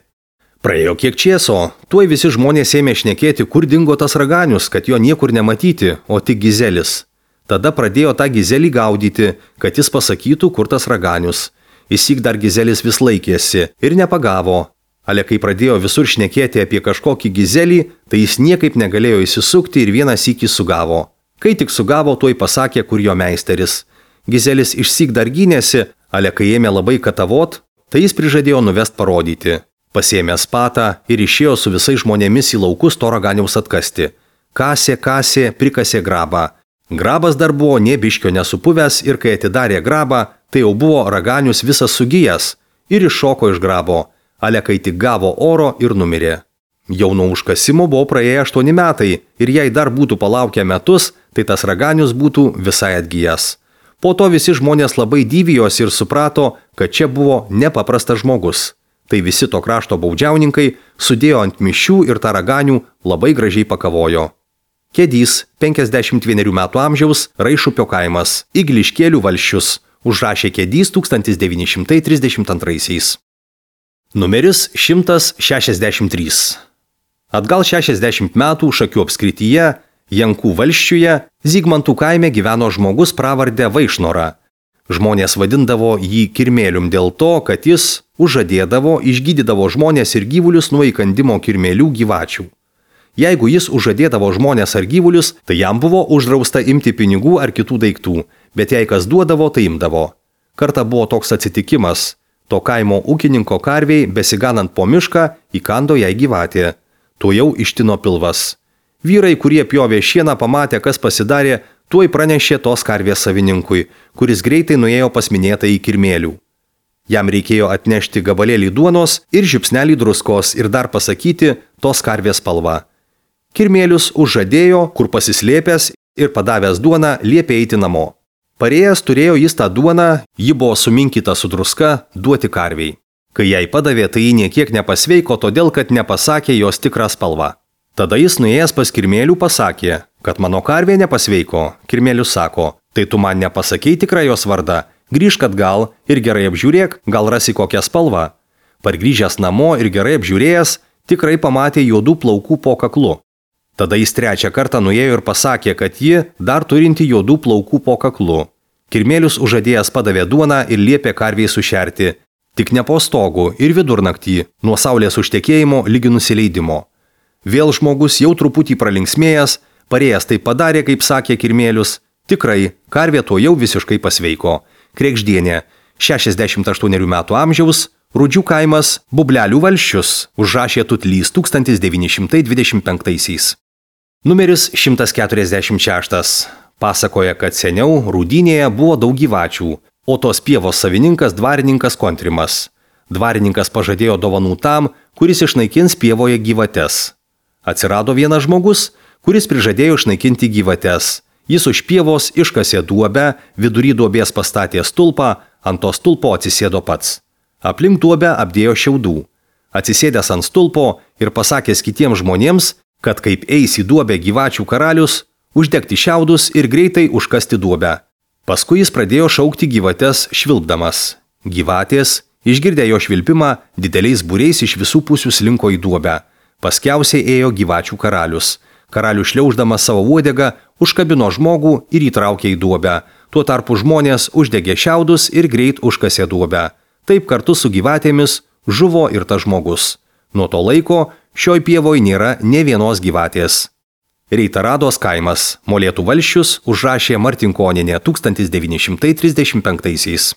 Praėjo kiek čieso, tuoj visi žmonės ėmė šnekėti, kur dingo tas raganius, kad jo niekur nematyti, o tik Gizelis. Tada pradėjo tą Gizelį gaudyti, kad jis pasakytų, kur tas raganius. Įsyk dar Gizelis vis laikėsi ir nepagavo. Ale kai pradėjo visur šnekėti apie kažkokį Gizelį, tai jis niekaip negalėjo įsisukti ir vieną sykį sugavo. Kai tik sugavo, tuoj pasakė, kur jo meisteris. Gizelis išsyk dar gynėsi, ale kai ėmė labai katavot, tai jis prižadėjo nuvest parodyti. Pasėmė spatą ir išėjo su visais žmonėmis į laukus to raganiaus atkasti. Kasė, prikasė grabą. Grabas dar buvo nė biškio nesupuvęs ir kai atidarė grabą, tai jau buvo raganius visas sugijęs ir iššoko iš grabo, ale kai tik gavo oro ir numirė. Jau nuo užkasimo buvo praėję 8 metai ir jei dar būtų palaukę metus, tai tas raganius būtų visai atgijęs. Po to visi žmonės labai dyvijosi ir suprato, kad čia buvo nepaprastas žmogus. Tai visi to krašto baudžiauninkai sudėjo ant mišių ir tą raganių labai gražiai pakavojo. Kedys, 51 metų amžiaus, Raišupio kaimas, Igliškėlių valsčius, užrašė Kedys 1932. Numeris 163. Atgal 60 metų Šakių apskrityje, Jankų valsčiuje, Zygmantų kaime gyveno žmogus pravardę Vaišnora. Žmonės vadindavo jį kirmėlium dėl to, kad jis užžadėdavo, išgydydavo žmonės ir gyvulius nuo įkandimo kirmėlių gyvačių. Jeigu jis užžadėdavo žmonės ar gyvulius, tai jam buvo uždrausta imti pinigų ar kitų daiktų, bet jei kas duodavo, tai imdavo. Kartą buvo toks atsitikimas. To kaimo ūkininko karviai, besiganant po mišką, įkando jai gyvatė. Tuo jau ištino pilvas. Vyrai, kurie pjovė šieną, pamatė, kas pasidarė, tuoj pranešė tos karvės savininkui, kuris greitai nuėjo pas minėtąjį kirmėlių. Jam reikėjo atnešti gabalėlį duonos ir žiupsnelį druskos ir dar pasakyti tos karvės spalvą. Kirmėlius užžadėjo, kur pasislėpęs ir padavęs duoną liepė eiti namo. Parėjęs turėjo jis tą duoną, ji buvo suminkyta su druska, duoti karviai. Kai jai padavė, tai ji niekiek nepasveiko, todėl kad nepasakė jos tikrą spalvą. Tada jis nuėjęs pas kirmėlių pasakė, kad mano karvė nepasveiko. Kirmėlius sako: tai tu man nepasakei tikrą jos vardą, grįžk atgal ir gerai apžiūrėk, gal rasi kokią spalvą. Pargrįžęs namo ir gerai apžiūrėjęs, tikrai pamatė juodų plaukų po kaklu. Tada jis 3 kartą nuėjo ir pasakė, kad ji dar turinti juodų plaukų po kaklu. Kirmėlius užadėjęs padavė duoną ir liepė karviai sušerti, tik ne po stogu ir vidurnaktį, nuo saulės užtekėjimo lygi nusileidimo. Vėl žmogus jau truputį pralinksmėjęs, parėjęs tai padarė, kaip sakė kirmėlius. Tikrai, karvė to jau visiškai pasveiko. Krekždienė, 68 metų amžiaus, Rudžių kaimas, Bublelių valsčius, užrašė Tutlys 1925. Numeris 146. Pasakoja, kad seniau Rūdynėje buvo daug gyvačių, o tos pievos savininkas dvarininkas Kontrimas. Dvarininkas pažadėjo dovanų tam, kuris išnaikins pievoje gyvates. Atsirado vienas žmogus, kuris prižadėjo išnaikinti gyvates. Jis už pievos iškasė duobę, vidury duobės pastatė stulpą, ant to stulpo atsisėdo pats. Aplink duobę apdėjo šiaudų. Atsisėdęs ant stulpo ir pasakęs kitiems žmonėms, kad kaip eis į duobę gyvačių karalius, uždegti šiaudus ir greitai užkasti duobę. Paskui jis pradėjo šaukti gyvates švilpdamas. Gyvatės, išgirdę jo švilpimą, dideliais būriais iš visų pusių slinko į duobę. Paskiausiai ėjo gyvačių karalius. Karalius šliauždamas savo uodegą užkabino žmogų ir įtraukė į duobę. Tuo tarpu žmonės uždegė šiaudus ir greit užkasė duobę. Taip kartu su gyvatėmis žuvo ir tas žmogus. Nuo to laiko šioj pievoj nėra nė vienos gyvatės. Reitarados kaimas, Molėtų valsčius, užrašė Martinkonienė 1935.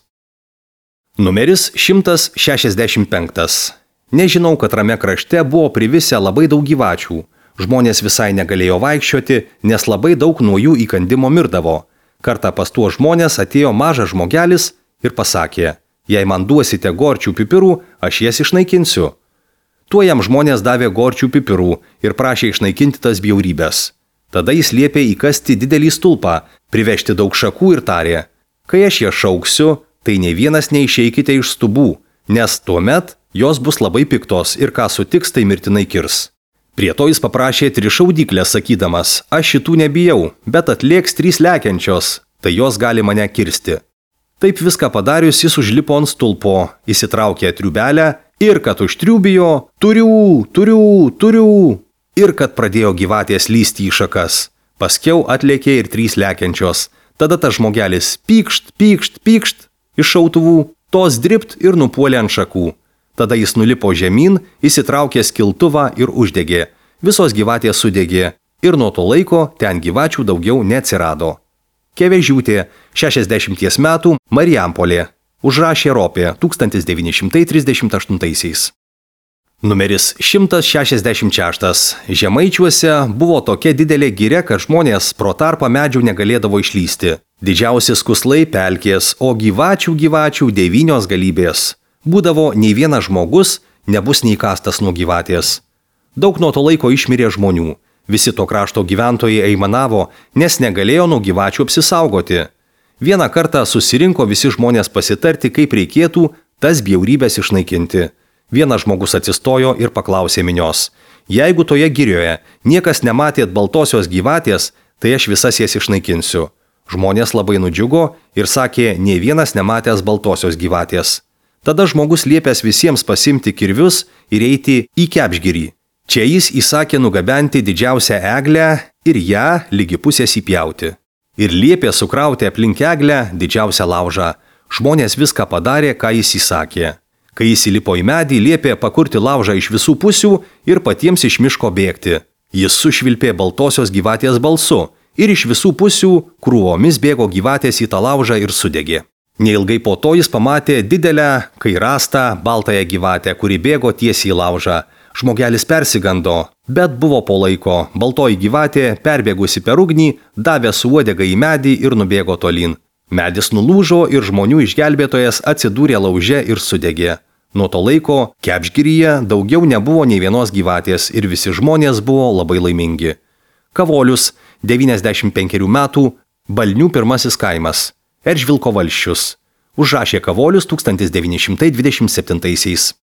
Numeris 165. Nežinau, kad rame krašte buvo privisę labai daug gyvačių. Žmonės visai negalėjo vaikščioti, nes labai daug nuo jų įkandimo mirdavo. Kartą pas tuos žmonės atėjo mažas žmogelis ir pasakė: jei man duosite gorčių pipirų, aš jas išnaikinsiu. Tuo jam žmonės davė gorčių pipirų ir prašė išnaikinti tas bjaurybės. Tada jis liepė įkasti didelį stulpą, privežti daug šakų ir tarė: kai aš jas šauksiu, tai nei vienas neišeikite iš stubų, nes tuomet jos bus labai piktos ir ką sutiks, tai mirtinai kirs. Prie to jis paprašė 3 šaudyklės, sakydamas: aš šitų nebijau, bet atlėks 3 lekiančios, tai jos gali mane kirsti. Taip viską padarius, jis užlipo ant stulpo, įsitraukė triubelę ir kad užtriubijo: turiu. Ir kad pradėjo gyvatės lysti į šakas. Paskiau atlėkė ir 3 lekiančios. Tada tas žmogelis pykšt iš šautuvų, tos dript ir nupuolė ant šakų. Tada jis nulipo žemyn, įsitraukė skiltuvą ir uždegė. Visos gyvatės sudegė ir nuo to laiko ten gyvačių daugiau neatsirado. Kevežiūtė, 60 metų, Marijampolė. Užrašė Ropė 1938. Numeris 166. Žemaičiuose buvo tokia didelė giria, kad žmonės pro tarpą medžių negalėdavo išlysti. Didžiausi skuslai pelkės, o gyvačių 9 galybės. Būdavo nei vienas žmogus nebus neįkastas nuo gyvatės. Daug nuo to laiko išmirė žmonių. Visi to krašto gyventojai aimanavo, nes negalėjo nuo gyvačių apsisaugoti. Vieną kartą susirinko visi žmonės pasitarti, kaip reikėtų tas bjaurybės išnaikinti. Vienas žmogus atsistojo ir paklausė minios: jeigu toje girioje niekas nematėt baltosios gyvatės, tai aš visas jas išnaikinsiu. Žmonės labai nudžiugo ir sakė, nei vienas nematęs baltosios gyvatės. Tada žmogus liepęs visiems pasimti kirvius ir eiti į Kepšgirį. Čia jis įsakė nugabenti didžiausią eglę ir ją lygi pusės įpjauti. Ir liepė sukrauti aplink eglę didžiausią laužą. Žmonės viską padarė, ką jis įsakė. Kai jis įlipo į medį, liepė pakurti laužą iš visų pusių ir patiems iš miško bėgti. Jis sušvilpė baltosios gyvatės balsu ir iš visų pusių krūvomis bėgo gyvatės į tą laužą ir sudegė. Neilgai po to jis pamatė didelę, kairastą, baltąją gyvatę, kuri bėgo tiesiai į laužą. Žmogelis persigando, bet buvo po laiko. Baltoji gyvatė, perbėgusi per ugnį, davė su uodega į medį ir nubėgo tolyn. Medis nulūžo ir žmonių išgelbėtojas atsidūrė lauže ir sudegė. Nuo to laiko Kepšgiryje daugiau nebuvo nei vienos gyvatės ir visi žmonės buvo labai laimingi. Kavolius, 95 metų, Balnių 1 kaimas, Eržvilko valsčius. Užrašė Kavolius 1927.